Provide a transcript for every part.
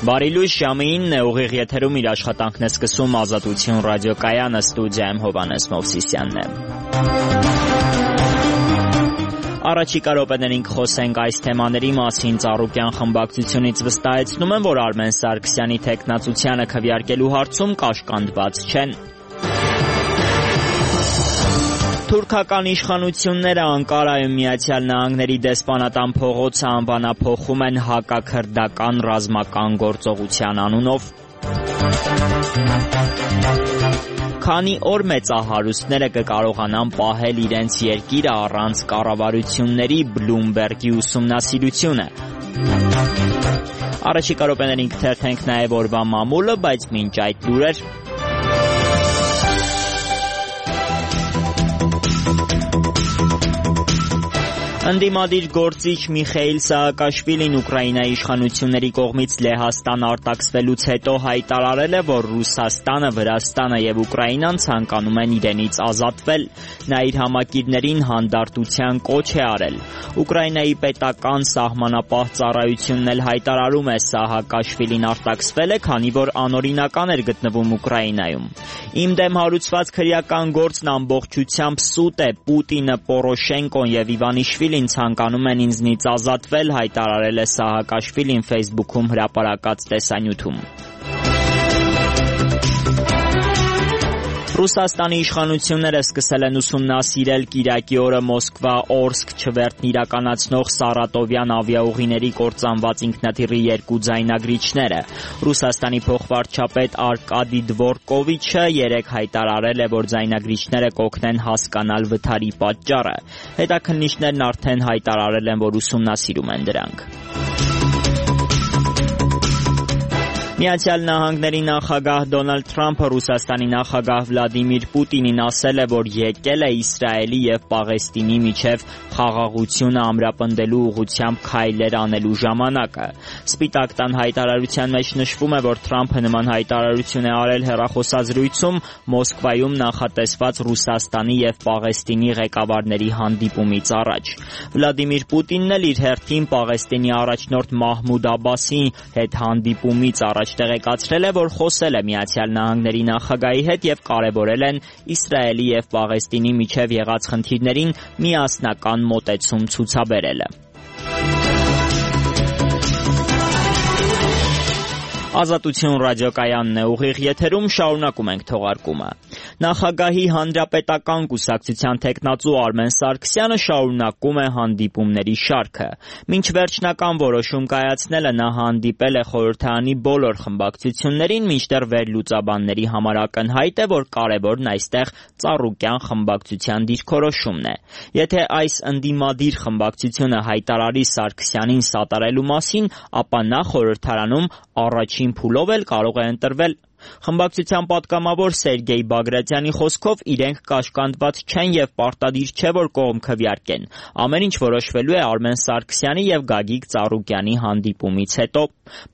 Բարի լույս, ժամը 9 ուղիղ եթերում իր աշխատանքն է սկսում Ազատություն ռադիոկայանը, ստուդիայում Հովհաննես Մովսիսյանն է։ Առաջիկա րոպեներին կխոսենք այս թեմաների մասին։ Ծառուկյան խմբակցությունից վստահեցնում են, որ Արմեն Սարգսյանի թեկնածությանը քվեարկելու հարցում կաշկանդված չեն։ Թուրքական իշխանությունները Անկարայում Միացյալ Նահանգների դեսպանատան փողոցը անվանափոխում են հակաքրդական ռազմական գործողության անունով։ Քանի օր մեծահարուստները կկարողանան պահել իրենց երկիրը առանց կառավարությունների, Բլումբերգի ուսումնասիրությունը։ Առաջիկա րոպեներին կթերթենք նաև օրվա մամուլը, բայց մինչ այդ լուրեր։ Ընդդիմադիր գործիչ Միխեիլ Սահակաշվիլին Ուկրաինայի իշխանությունների կողմից Լեհաստան արտաքսվելուց հետո հայտարարել է, որ Ռուսաստանը, Վրաստանը եւ Ուկրաինան ցանկանում են իրենից ազատվել։ Նա իր համակիրներին հանդարտության կոչ է արել։ Ուկրաինայի պետական սահմանապահ ծառայությունն էլ հայտարարում է, Սահակաշվիլին արտաքսվել է, քանի որ անօրինական էր գտնվում Ուկրաինայում։ Իմ դեմ հարուցված քրեական գործն ամբողջությամբ սուտ է, Պուտինը, Պորոշենկոն եւ Իվանիշվիլին ցանկանում են ինձնից ազատվել, հայտարարել է Սահակաշվիլին Facebook-ում հրապարակած տեսանյութում։ Ռուսաստանի իշխանությունները սկսել են ուսումնասիրել կիրակի օրը Մոսկվա-Օրսկ չվերթն իրականացնող Սարատովյան ավիաուղիների կործանված ինքնաթիռի 2 ձայնագրիչները։ Ռուսաստանի փոխվարչապետ Արկադի Դվորկովիչը երեկ հայտարարել է, որ ձայնագրիչները կօգնեն հասկանալ վթարի պատճառը։ Հետաքննիչներն արդեն հայտարարել են, որ ուսումնասիրում են դրանք։ Միացյալ Նահանգների նախագահ Դոնալդ Թրամփը Ռուսաստանի նախագահ Վլադիմիր Պուտինին ասել է, որ եկել է Իսրայելի եւ Պաղեստինի միջև խաղաղությունը ամրապնդելու ուղղությամբ քայլեր անելու ժամանակը։ Սպիտակ տան հայտարարության մեջ նշվում է, որ Թրամփը նման հայտարարություն է արել հեռախոսազրույցում Մոսկվայում նախատեսված Ռուսաստանի եւ Պաղեստինի ղեկավարների հանդիպումից առաջ։ Վլադիմիր Պուտինն էլ իր հերթին Պաղեստինի առաջնորդ Մահմուդ Աբասի հետ հանդիպումից առաջ տեղեկացրել է, որ խոսել է Միացյալ Նահանգների նախագահի հետ եւ կարեւորել են Իսրայելի եւ Պաղեստինի միջև եղած խնդիրներին միասնական մոտեցում ցուցաբերելը։ Ազատություն ռադիոկայանն է, ուղիղ եթերում շարունակում ենք թողարկումը։ Նախագահի հանրապետական կուսակցության թեկնածու Արմեն Սարգսյանը շարունակում է հանդիպումների շարքը։ Մինչ վերջնական որոշում կայացնելը նա հանդիպել է խորհրդարանի բոլոր խմբակցություններին, մինչդեռ վերլուծաբանների համար ակնհայտ է, որ կարևորն այստեղ Ծառուկյան խմբակցության դիրքորոշումն է։ Եթե այս ընդդիմադիր խմբակցությունը հայտարարի Սարգսյանին սատարելու մասին, ապա նա խորհրդարանում առաջին փուլով էլ կարող է ընտրվել։ Խմբակցության պատգամավոր Սերգեյ Բագրատյանի խոսքով իրենք կաշկանդված չեն եւ պարտադիր չէ, որ կողմ քվեարկեն։ Ամեն ինչ որոշվելու է Արմեն Սարգսյանի եւ Գագիկ Ծառուկյանի հանդիպումից հետո։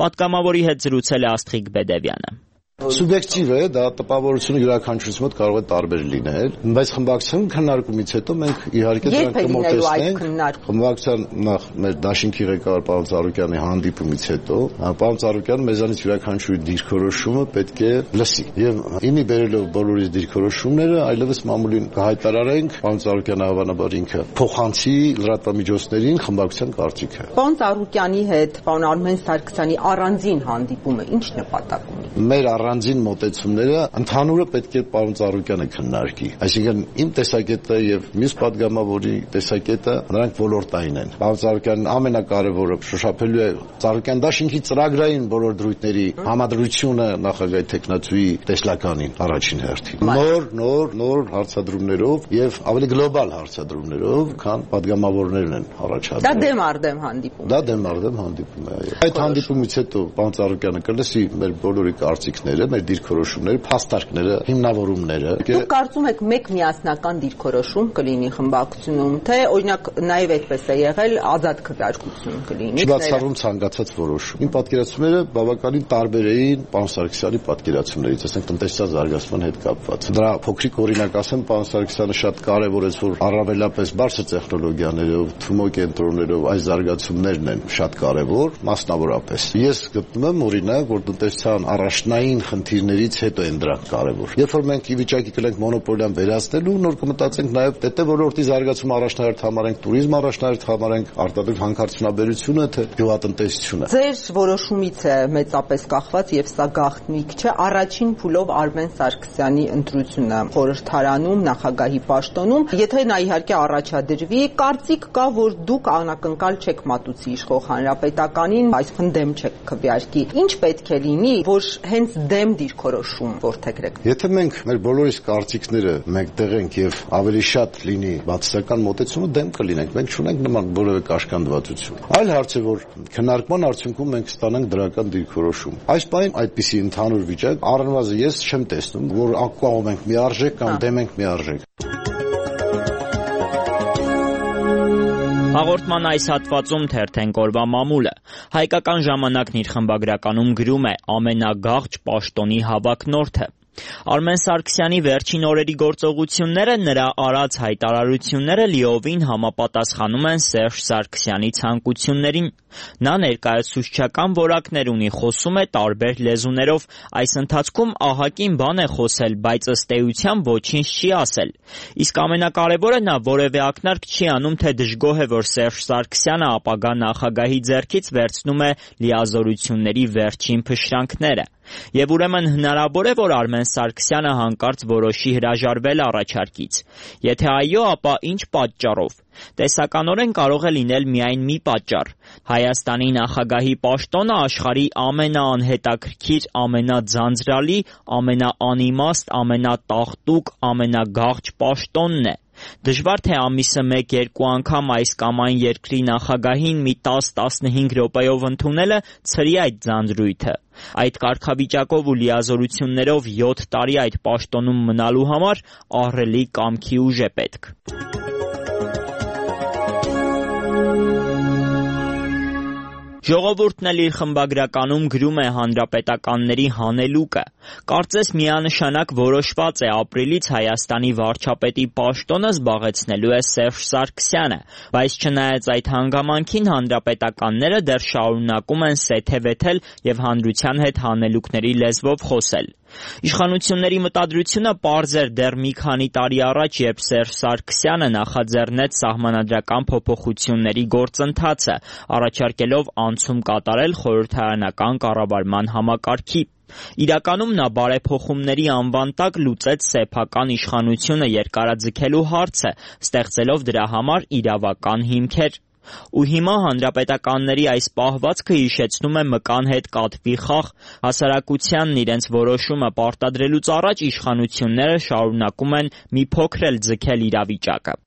Պատգամավորի հետ զրուցել է Աստղիկ Բեդևյանը։ Սուբյեկտիվ է, դա տպավորությունը յուրաքանչյուրից մոտ կարող է տարբեր լինել, բայց խմբակցության քննարկումից հետո մենք իհարկե դրանք կմոտեցնենք։ Խմբակցության նախ մեր դաշինքի ղեկավար պարոն Ծառուկյանի հանդիպումից հետո պարոն Ծառուկյանը մեզանից յուրաքանչյուրի դիրքորոշումը պետք է լսի եւ իմի բերելով բոլորի դիրքորոշումները այլևս մամուլին կհայտարարենք, պարոն Ծառուկյանը հավանաբար ինքը փոխանցի լրատվամիջոցներին խմբակցության կարծիքը։ Պարոն Ծառուկյանի հետ պարոն Արմեն Սարգսյանի առանձին հանդիպումը ինչ նպատակ ունի։ Մեր առանձին մոտեցումները ընդհանուրը պետք է պարոն Ծառուկյանը քննարկի։ Այսինքն իմ տեսակետը եւ մյուս պատգամավորի տեսակետը նրանք ոլորտային են։ Պարոն Ծառուկյանն ամենակարևորը շոշափելու է Ծառուկյան դաշինքի ծրագրային բոլոր դրույթների համադրությունը նախագահի թեկնածուի տեսլականին առաջին հերթին։ Նոր հարցադրումներով եւ ավելի գլոբալ հարցադրումներով, քան պատգամավորներն են առաջադրել։ Դա դեմ արդեմ հանդիպում։ Դա դեմ արդեմ հանդիպում է։ Այդ հանդիպումից հետո պարոն Ծառուկյանը կլսի մեր բոլորի կարծիքները խնդիրները, մեր դիրքորոշումները, փաստարկները, հիմնավորումները։ Դուք կարծում եք մեկ միասնական դիրքորոշում կլինի խմբակցությունում, թե օրինակ նաև այդպես է եղել ազատ քվեարկություն կլինի։ Չբացառում ցանկացած որոշում։ Իմ պատկերացումները բավականին տարբեր էին պարոն Սարգսյանի պատկերացումներից, ասենք տնտեսական զարգացման հետ կապված։ Դրա փոքրիկ օրինակ ասեմ, պարոն Սարգսյանը շատ կարևորեց, որ առավելապես բարձր տեխնոլոգիաներով, թմո կենտրոններով այս զարգացումներն են շատ կարևոր, մասնավորապես։ Ես գտնում եմ օրինակ, որ տնտեսության առաջնային խնդիրներից հետո են դրանք կարևոր։ Երբ որ մենք ի վիճակի կլենք մոնոպոլիան վերացնելու, նոր կմտածենք նաև ՏՏ ոլորտի զարգացումը առաջնահերթ համարենք, туриզմ առաջնահերթ համարենք, արտադրող հանքարդյունաբերությունը, թե գյուղատնտեսությունը։ Ձեր որոշումից է մեծապես կախված եւ սա գաղտնիք չէ, առաջին փուլով Արմեն Սարգսյանի ընտրությունը խորհրդարանում նախագահի պաշտոնում, եթե նա իհարկե առաջադրվի, կարծիք կա, որ դուք անակնկալ չեք մատուցի իշխող հանրապետականին, այսինքն դեմ չեք քվեարկի։ Ինչ պետք է լինի, որ հենց դեմ դիրքորոշում որդեգրեք։ Եթե մենք մեր բոլորիս կարծիքները մեկտեղենք եւ ավելի շատ լինի բացասական մոտեցումը, դեմ կլինենք։ Մենք չունենք նման որևէ կաշկանդվածություն։ Այլ հարց է, որ քննարկման արդյունքում մենք ստանանք դրական դիրքորոշում։ Այս պահին այդպիսի ընդհանուր վիճակ առնվազն ես չեմ տեսնում, որ ակկուաղում ենք միարժեք կամ դեմ ենք միարժեք։ Հաղորդման այս հատվածում թերթենք օրվա մամուլը։ Հայկական ժամանակն իր խմբագրականում գրում է ամենագաղճ պաշտոնի հավակնորդը։ Արմեն Սարգսյանի վերջին օրերի գործողությունները, նրա արած հայտարարությունները լիովին համապատասխանում են Սերժ Սարգսյանի ցանկություններին։ Նա ներկայացուցչական որակներ ունի, խոսում է տարբեր լեզուներով, այս ընթացքում ահագին բան է խոսել, բայց ըստ էության ոչինչ չի ասել։ Իսկ ամենակարևորը, նա որևէ ակնարկ չի անում, թե դժգոհ է, որ Սերժ Սարգսյանը ապագա նախագահի ձեռքից վերցնում է լիազորությունների վերջին փշրանքները։ Եվ ուրեմն հնարավոր է, որ Արմեն Սարգսյանը հանկարծ որոշի հրաժարվել առաջարկից։ Եթե այո, ապա ինչ պատճառով։ Տեսականորեն կարող է լինել միայն մի պատճառ։ Հայաստանի նախագահի պաշտոնը աշխարհի ամենաանհետաքրքիր, ամենաձանձրալի, ամենաանիմաստ, ամենատաղտուկ, ամենագաղճ պաշտոնն է։ Դժվար թե ամիսը 1-2 անգամ այս կամ այն երկրի նախագահին մի 10-15 րոպեով ընդունելը ցրի այդ ձանձրույթը։ Այդ կարգավիճակով ու լիազորություններով 7 տարի այդ պաշտոնում մնալու համար ահռելի կամքի ուժ է պետք։ Ժողովուրդն էլ իր խմբագրականում գրում է հանրապետականների հանելուկը։ Կարծես միանշանակ որոշված է ապրիլից Հայաստանի վարչապետի պաշտոնը զբաղեցնելու է Սերժ Սարգսյանը, բայց չնայած այդ հանգամանքին հանրապետականները դեռ շարունակում են սեթևեթել եւ հանրության հետ հանելուկների լեզվով խոսել։ Իշխանությունների մտադրությունը պարզ էր դեռ մի քանի տարի առաջ, երբ Սերժ Սարգսյանը նախաձեռնեց սահմանադրական փոփոխությունների գործընթացը, առաջարկելով անցում կատարել խորհրդարանական կառավարման համակարգի։ Իրականում նա բարեփոխումների անվան տակ լուծեց սեփական իշխանությունը երկարաձգելու հարցը, ստեղծելով դրա համար իրավական հիմքեր։ Ու հիմա հանրապետականների այս պահվածքը հիշեցնում է մկան հետ կատվի խաղ, հասարակությանն իրենց որոշումը պարտադրելուց առաջ իշխանությունները շարունակում են մի փոքր էլ ձգել իրավիճակը։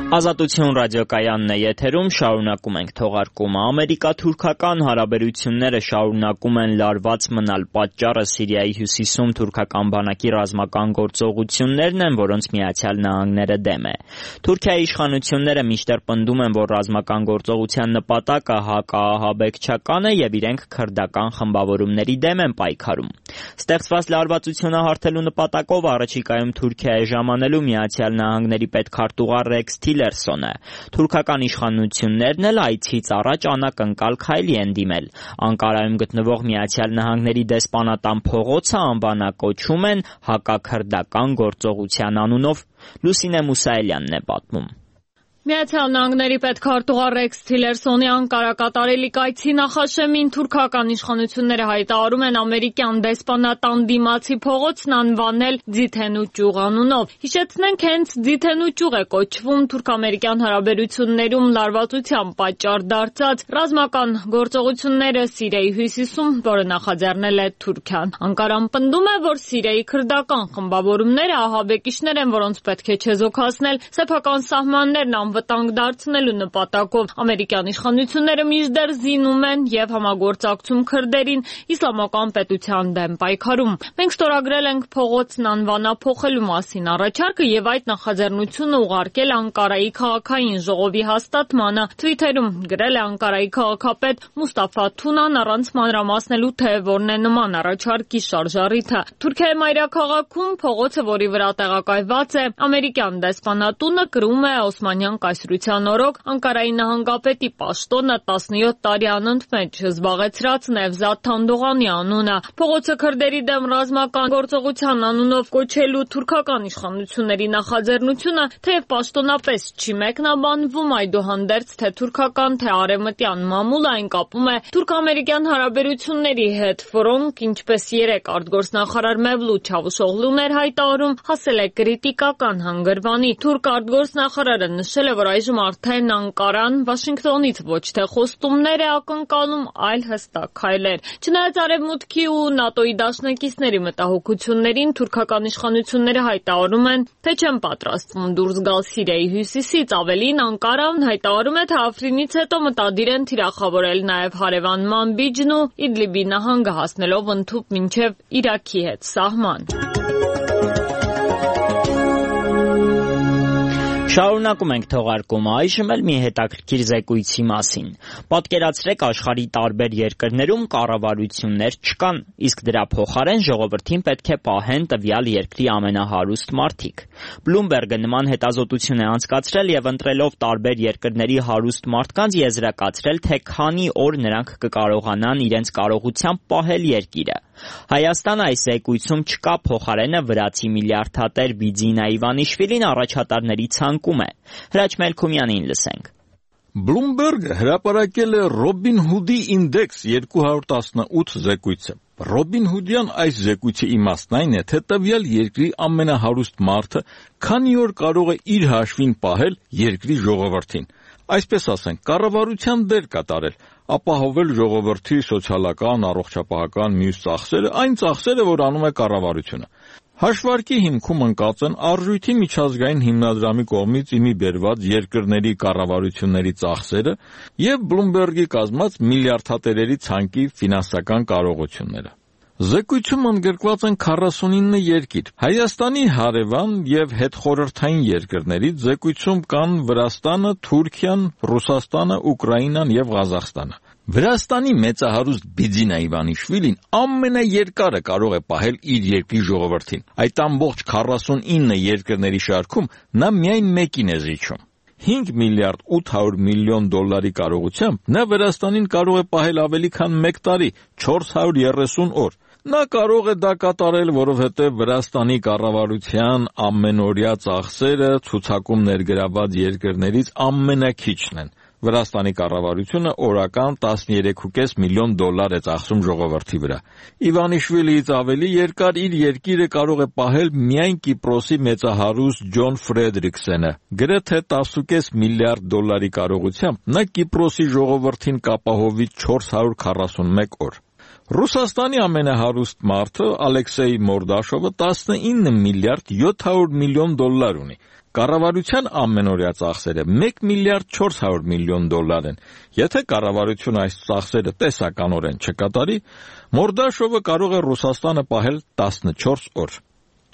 Ազատություն ռադիոկայանն է եթերում, շարունակում ենք թողարկումը։ Ամերիկա-թուրքական հարաբերությունները շարունակում են լարված մնալ, պատճառը Սիրիայի հյուսիսում թուրքական բանակի ռազմական գործողություններն են, որոնց Միացյալ Նահանգները դեմ է։ Թուրքիայի իշխանությունները մինչդեռ պնդում են, որ ռազմական գործողության նպատակը հակաահաբեկչական է եւ իրենք քրդական խմբավորումների դեմ են պայքարում։ Ստեղծված լարվածությունը հարթելու նպատակով առաջիկայում Թուրքիայի ժամանելու Միացյալ Նահանգների պետքարտուղար Ռեքս Թիլերսոնը։ Թուրքական իշխանություններն էլ այցից առաջ անակնկալ քայլի են դիմել։ Անկարայում գտնվող Միացյալ Նահանգների դեսպանատան փողոցը անվանակոչում են հակաքրդական գործողության անունով։ Լուսինե Մուսայելյանն է պատմում։ Միացյալ Նահանգների պետքարտուղար Ռեքս Թիլերսոնի Անկարա կատարելի կայցի նախաշեմին թուրքական իշխանությունները հայտարարում են ամերիկյան դեսպանատան դիմացի փողոցն անվանել Ձիթենու ճյուղ անունով։ Հիշեցնենք, հենց Ձիթենու ճյուղ է կոչվում թուրք-ամերիկյան հարաբերություններում լարվածության պատճառ դարձած ռազմական գործողությունները Սիրիայի հյուսիսում, որը նախաձեռնել է Թուրքիան։ Անկարան պնդում է, որ Սիրիայի քրդական խմբավորումները ահաբեկիչներ են, որոնց պետք է չեզոքացնել, սեփական սահմաններն անվտանգ դարձնելու նպատակով։ Ամերիկյան իշխանությունները մինչդեռ զինում են եւ համագործակցում քրդերին իսլամական պետության դեմ պայքարում։ Մենք ստորագրել ենք փողոցն անվանափոխելու մասին առաջարկը եւ այդ նախաձեռնությունը ուղարկել Անկարայի քաղաքային ժողովի հաստատմանը։ Թվիթերում գրել է Անկարայի քաղաքապետ Մուստաֆա Թունան առանց մանրամասնելու թե որն է նման առաջարկի շարժառիթը։ Թուրքիայի մայրաքաղաքում փողոցը, որի վրա տեղակայված է ամերիկյան դեսպանատունը, կրում է Օսմանյան կայսրության օրոք Անկարայի նահանգապետի պաշտոնը 17 տարի անընդմեջ զբաղեցրած Նևզատ Թանդողանի անունը։ Փողոցը քրդերի դեմ ռազմական գործողության անունով կոչելու թուրքական իշխանությունների նախաձեռնությունը թեև պաշտոնապես չի մեկնաբանվում, այդուհանդերձ թե թուրքական, թե արևմտյան մամուլը այն կապում է թուրք-ամերիկյան հարաբերությունների հետ, որոնք, ինչպես երեկ արտգործնախարար Մևլութ Չավուշօղլուն էր հայտարարում, հասել է կրիտիկական հանգրվանի։ Թուրք արտգործնախարարը նշել է, որ այժմ արդեն Անկարան Վաշինգտոնից ոչ թե խոստումներ է ակնկալում, այլ հստակ քայլեր։ Չնայած Արևմուտքի ու ՆԱՏՕ-ի դաշնակիցների մտահոգություններին, թուրքական իշխանությունները հայտարարում են, թե չեն պատրաստվում դուրս գալ Սիրիայի հյուսիսից, ավելին Անկարան հայտարարում է, թե Աֆրինից հետո մտադիր են թիրախավորել նաև հարևան Մանբիջն ու Իդլիբի նահանգը, հասնելով ընդհուպ մինչև Իրաքի հետ սահման։ Շարունակում ենք թողարկումը, այժմ էլ մի հետաքրքիր զեկույցի մասին։ Պատկերացրեք, աշխարհի տարբեր երկրներում կառավարություններ չկան, իսկ դրա փոխարեն ժողովրդին պետք է պահեն տվյալ երկրի ամենահարուստ մարդիկ։ Բլումբերգը նման հետազոտություն է անցկացրել եւ ընտրելով տարբեր երկրների հարուստ մարդկանց եզրակացրել, թե քանի օր նրանք կկարողանան իրենց կարողությամբ պահել երկիրը։ Հայաստանը այս զեկույցում չկա, փոխարենը վրացի միլիարդատեր Բիձինա Իվանիշվիլին առաջատարների ցանկում է։ Հրաչ Մելքումյանին լսենք։ Բլումբերգը հրապարակել է Ռոբին Հուդի ինդեքս 218 զեկույցը։ Ռոբին Հուդյան այս զեկույցի իմաստն այն է, թե տվյալ երկրի ամենահարուստ մարդը քանի օր կարող է իր հաշվին պահել երկրի ժողովրդին։ Այսպես ասենք, կառավարության դեր կատարել, ապահովել ժողովրդի սոցիալական, առողջապահական մյուս ծախսերը, այն ծախսերը, որ անում է կառավարությունը։ Հաշվարկի հիմքում ընկած են Արժույթի միջազգային հիմնադրամի կողմից իմի բերված երկրների կառավարությունների ծախսերը եւ Բլումբերգի կազմած միլիարդատերերի ցանկի ֆինանսական կարողությունները։ Զեկույցում ընդգրկված են 49 երկիր։ Հայաստանի հարևան եւ հետխորհրդային երկրներից զեկույցում կան Վրաստանը, Թուրքիան, Ռուսաստանը, Ուկրաինան եւ Ղազախստանը։ Վրաստանի մեծահարուստ Բիձինա Իվանիշվիլին ամենաերկարը կարող է պահել իր երկրի ժողովրդին։ Այդ ամբողջ 49 երկրների շարքում նա միայն մեկին է զիջում։ 5 միլիարդ 800 միլիոն դոլարի կարողությամբ նա Վրաստանին կարող է պահել ավելի քան 1 տարի, 430 օր։ Նա կարող է դա կատարել, որովհետև Վրաստանի կառավարության ամենօրյա ծախսերը ցուցակում ներգրաված երկրներից ամենակիչն են։ Վրաստանի կառավարությունը օրական 13.5 միլիոն դոլար է ծախսում ժողովրդի վրա։ Իվանիշվիլիից ավելի երկար իր երկիրը կարող է պահել միայն Կիպրոսի մեծահարուստ Ջոն Ֆրեդրիքսենը։ Գրեթե 10.5 միլիարդ դոլարի կարողությամբ նա Կիպրոսի ժողովրդին կապահովի 441 օր։ Ռուսաստանի ամենահարուստ մարդը Ալեքսեյ Մորդաշովը 19 միլիարդ 700 միլիոն դոլար ունի։ Կառավարության ամենօրյա ծախսերը 1 միլիարդ 400 միլիոն դոլար են։ Եթե կառավարությունը այս ծախսերը տեսականորեն չկատարի, Մորդաշովը կարող է Ռուսաստանը պահել 14 օր։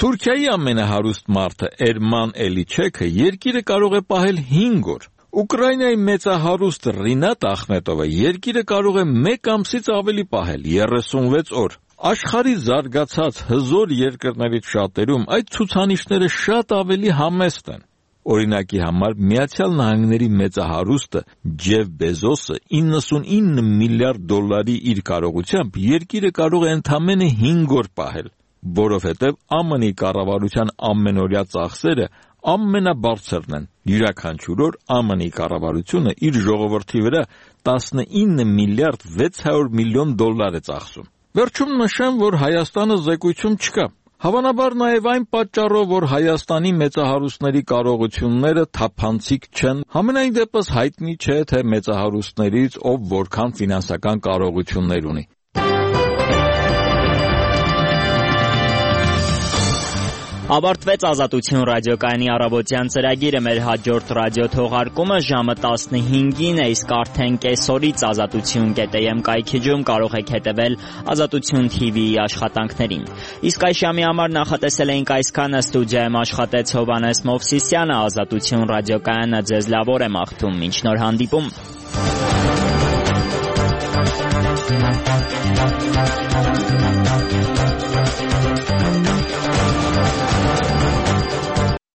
Թուրքիայի ամենահարուստ մարդը Էրման Էլիչեքը երկիրը կարող է պահել 5 օր։ Ուկրաինայի մեծահարուստ Ռինատ Ախմետովը երկիրը կարող է 1 ամսից ավելի պահել 36 օր։ Աշխարհի զարգացած հզոր երկրներից շատերում այդ ցուցանիշները շատ ավելի համեստ են։ Օրինակի համար Միացյալ Նահանգների մեծահարուստը Ջեֆ Բեզոսը 99 միլիարդ դոլարի իր կարողությամբ երկիրը կարող է ընդամենը 5 օր պահել, որովհետև ԱՄՆ-ի կառավարության ամենօրյա ծախսերը ամենաբարձրն են։ Յուրաքանչյուր օր ԱՄՆ-ի կառավարությունը իր ժողովրդի վրա 19 միլիարդ 600 միլիոն դոլար է ծախսում։ Վերջում նշեմ, որ Հայաստանը զեկույցում չկա։ Հավանաբար նաև այն պատճառով, որ Հայաստանի մեծահարուստների կարողությունները թափանցիկ չեն, համենայն դեպս հայտնի չէ, թե մեծահարուստներից ով որքան ֆինանսական կարողություններ ունի։ Ավարտվեց Ազատություն ռադիոկայանի առավոտյան ծրագիրը, մեր հաջորդ ռադիո թողարկումը ժամը 15-ին է, իսկ արդեն կեսօրից azatutun.am կայքեջում կարող եք հետևել Ազատություն TV-ի աշխատանքներին։ Իսկ այս ժամի համար նախատեսել էինք այսքանը, ստուդիայում աշխատեց Հովհաննես Մովսիսյանը, Ազատություն ռադիոկայանը ձեզ լավ օր է մաղթում, մինչ նոր հանդիպում։